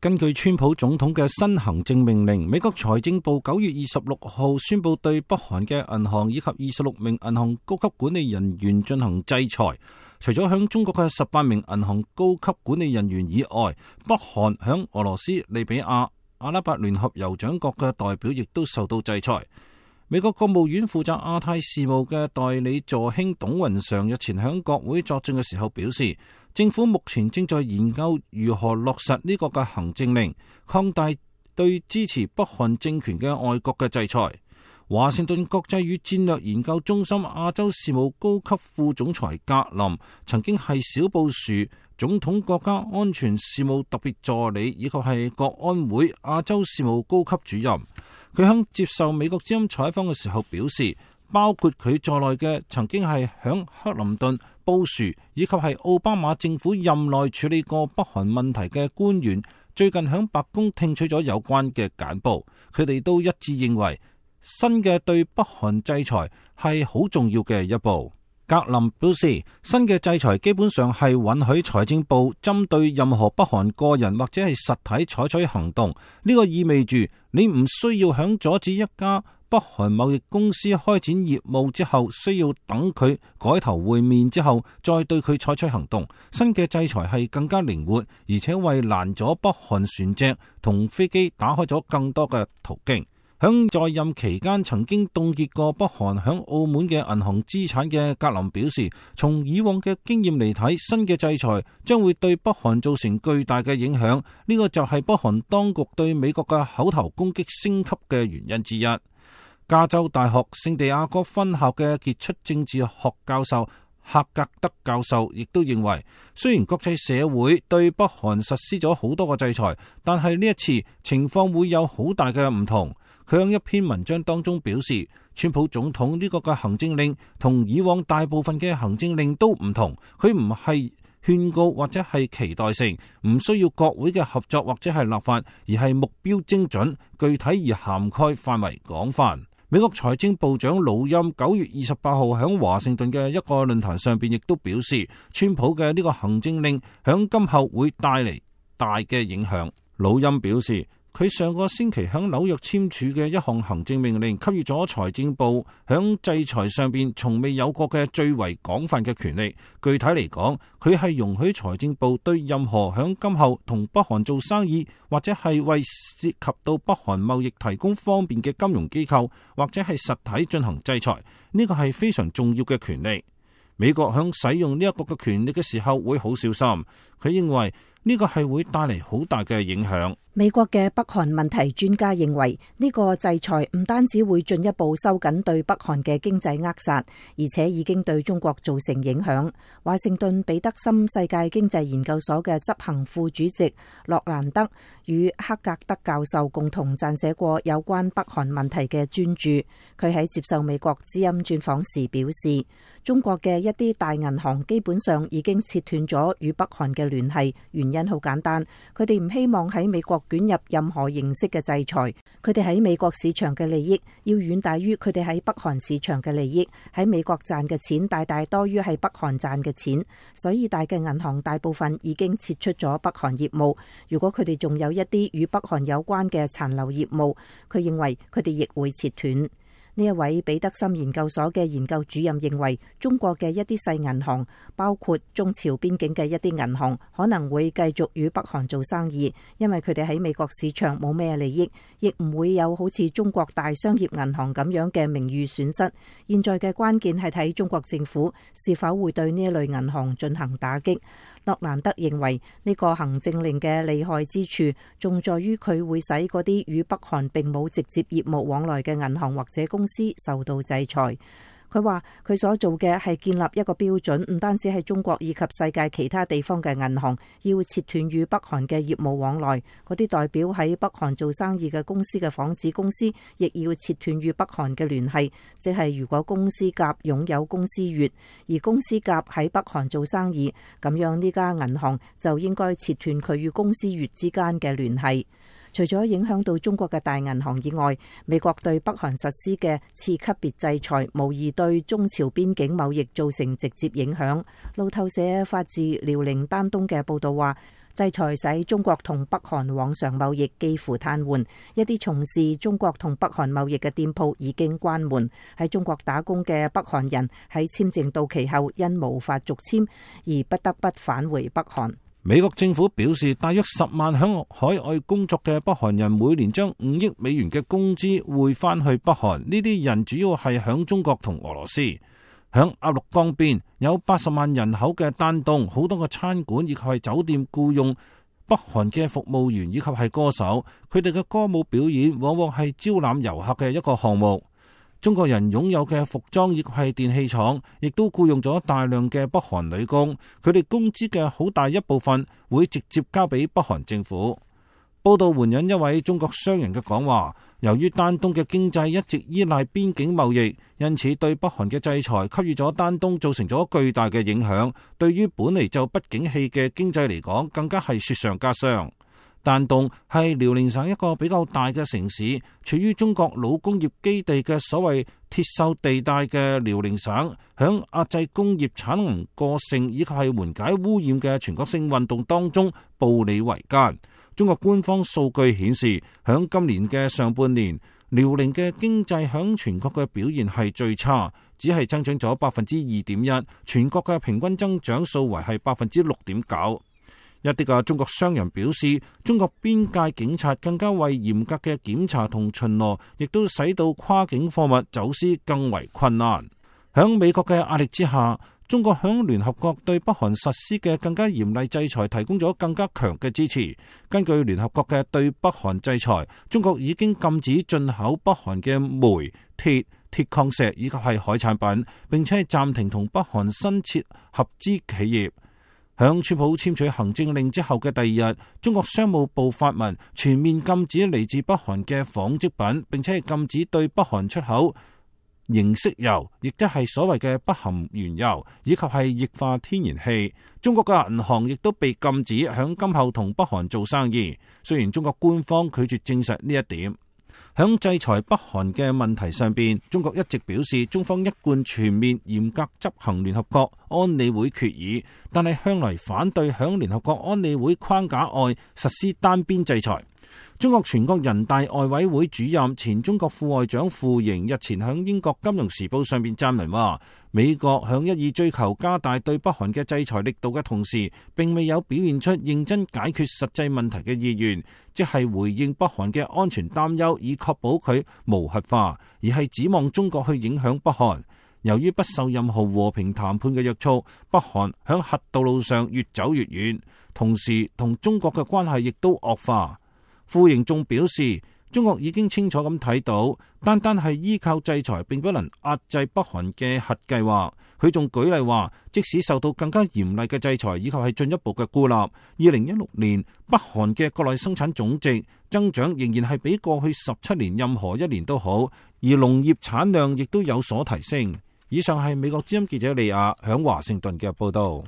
根據川普總統嘅新行政命令，美國財政部9月26號宣布對北韓嘅銀行以及26名銀行高級管理人員進行制裁。除咗向中國嘅18名銀行高級管理人員以外，北韓響俄羅斯、利比亞、阿拉伯聯合酋長國嘅代表亦都受到制裁。美國國務院負責亞太事務嘅代理助卿董雲常日前響國會作證嘅時候表示，政府目前正在研究如何落實呢個嘅行政令，擴大對支持北韓政權嘅外國嘅制裁。華盛頓國際與戰略研究中心亞洲事務高級副總裁格林曾經係小布殊總統國家安全事務特別助理，以及係國安會亞洲事務高級主任。佢響接受美國之音採訪嘅時候表示，包括佢在內嘅曾經係響克林頓、布殊以及係奧巴馬政府任內處理過北韓問題嘅官員，最近響白宮聽取咗有關嘅簡報，佢哋都一致認為新嘅對北韓制裁係好重要嘅一步。格林表示，新嘅制裁基本上係允許財政部針對任何北韓個人或者係實體採取行動。呢個意味住你唔需要響阻止一家北韓貿易公司開展業務之後，需要等佢改頭換面之後再對佢採取行動。新嘅制裁係更加靈活，而且為攔阻北韓船隻同飛機打開咗更多嘅途徑。響在任期間曾經凍結過北韓響澳門嘅銀行資產嘅格林表示，從以往嘅經驗嚟睇，新嘅制裁將會對北韓造成巨大嘅影響。呢個就係北韓當局對美國嘅口頭攻擊升級嘅原因之一。加州大學聖地亞哥分校嘅傑出政治學教授赫格德教授亦都認為，雖然國際社會對北韓實施咗好多個制裁，但係呢一次情況會有好大嘅唔同。佢喺一篇文章當中表示，川普總統呢個嘅行政令同以往大部分嘅行政令都唔同，佢唔係勸告或者係期待性，唔需要國會嘅合作或者係立法，而係目標精準、具體而涵蓋範圍廣泛。美國財政部長魯欽9月28號喺華盛頓嘅一個論壇上邊亦都表示，川普嘅呢個行政令響今後會帶嚟大嘅影響。魯欽表示，佢上個星期響紐約簽署嘅一項行政命令，給予咗財政部響制裁上邊從未有過嘅最為廣泛嘅權力。具體嚟講，佢係容許財政部對任何響今後同北韓做生意，或者係為涉及到北韓貿易提供方便嘅金融機構或者係實體進行制裁。呢個係非常重要嘅權力。美國響使用呢一個嘅權力嘅時候會好小心。佢認為呢個係會帶嚟好大嘅影響。美國嘅北韓問題專家認為，呢個制裁唔單止會進一步收緊對北韓嘅經濟扼殺，而且已經對中國造成影響。華盛頓彼得森世界經濟研究所嘅執行副主席洛蘭德與克格德教授共同撰寫過有關北韓問題嘅專著。佢喺接受美國之音專訪時表示，中國嘅一啲大銀行基本上已經切斷咗與北韓嘅聯繫，原因好簡單，佢哋唔希望喺美國捲入任何形式嘅制裁。佢哋喺美國市場嘅利益要遠大於佢哋喺北韓市場嘅利益，喺美國賺嘅錢大大多於喺北韓賺嘅錢，所以大嘅銀行大部分已經撤出咗北韓業務。如果佢哋仲有一啲與北韓有關嘅殘留業務，佢認為佢哋亦會切斷。呢一位彼得森研究所嘅研究主任認為，中國嘅一啲細銀行，包括中朝邊境嘅一啲銀行，可能會繼續與北韓做生意，因為佢哋喺美國市場冇咩利益，亦唔會有好似中國大商業銀行咁樣嘅名譽損失。現在嘅關鍵係睇中國政府是否會對呢一類銀行進行打擊。洛蘭德認為呢個行政令嘅厲害之處，仲在於佢會使嗰啲與北韓並冇直接業務往來嘅銀行或者公司受到制裁。佢話佢所做嘅係建立一個標準，唔單止係中國以及世界其他地方嘅銀行要切斷與北韓嘅業務往來，嗰啲代表喺北韓做生意嘅公司嘅仿子公司亦要切斷與北韓嘅聯繫。即係如果公司甲擁有公司乙，而公司甲喺北韓做生意，咁樣呢家銀行就應該切斷佢與公司乙之間嘅聯繫。除咗影響到中國嘅大銀行以外，美國對北韓實施嘅次級別制裁，無疑對中朝邊境貿易造成直接影響。路透社發自遼寧丹東嘅報道話，制裁使中國同北韓往常貿易幾乎癱瘓，一啲從事中國同北韓貿易嘅店鋪已經關門。喺中國打工嘅北韓人喺簽證到期後因無法續簽而不得不返回北韓。美國政府表示，大約10萬響海外工作嘅北韓人每年將5億美元嘅工資匯翻去北韓。呢啲人主要係響中國同俄羅斯。響鴨綠江邊有80萬人口嘅丹東，好多個餐館以及係酒店僱用北韓嘅服務員以及係歌手，佢哋嘅歌舞表演往往係招攬遊客嘅一個項目。中國人擁有嘅服裝以及係電器廠，亦都僱用咗大量嘅北韓女工，佢哋工資嘅好大一部分會直接交俾北韓政府。報道援引一位中國商人嘅講話，由於丹東嘅經濟一直依賴邊境貿易，因此對北韓嘅制裁給予咗丹東造成咗巨大嘅影響。對於本嚟就不景氣嘅經濟嚟講，更加係雪上加霜。丹東係遼寧省一個比較大嘅城市，處於中國老工業基地嘅所謂鐵鏽地帶嘅遼寧省，響壓制工業產能過剩以及係緩解污染嘅全國性運動當中步履維艱。中國官方數據顯示，響今年嘅上半年，遼寧嘅經濟響全國嘅表現係最差，只係增長咗2.1%，全國嘅平均增長數為係6.9%。一啲嘅中國商人表示，中國邊界警察更加為嚴格嘅檢查同巡邏，亦都使到跨境貨物走私更為困難。響美國嘅壓力之下，中國響聯合國對北韓實施嘅更加嚴厲制裁提供咗更加強嘅支持。根據聯合國嘅對北韓制裁，中國已經禁止進口北韓嘅煤、鐵、鐵礦石以及係海產品，並且係暫停同北韓新設合資企業。響川普簽署行政令之後嘅第二日，中國商務部發文全面禁止嚟自北韓嘅紡織品，並且係禁止對北韓出口凝色油，亦即係所謂嘅不含原油，以及係液化天然氣。中國嘅銀行亦都被禁止響今後同北韓做生意。雖然中國官方拒絕證實呢一點。響制裁北韓嘅問題上邊，中國一直表示中方一貫全面嚴格執行聯合國安理會決議，但係向來反對響聯合國安理會框架外實施單邊制裁。中國全國人大外委會主任、前中國副外長傅瑩日前響英國金融時報上邊撰文話，美國響一意追求加大對北韓嘅制裁力度嘅同時，並未有表現出認真解決實際問題嘅意願，即係回應北韓嘅安全擔憂，以確保佢無核化，而係指望中國去影響北韓。由於不受任何和平談判嘅約束，北韓響核道路上越走越遠，同時同中國嘅關係亦都惡化。傅瑩仲表示，中國已經清楚咁睇到，單單係依靠制裁並不能壓制北韓嘅核計劃。佢仲舉例話，即使受到更加嚴厲嘅制裁以及係進一步嘅孤立，2016年北韓嘅國內生產總值增長仍然係比過去17年任何一年都好，而農業產量亦都有所提升。以上係美國之音記者利亞響華盛頓嘅報道。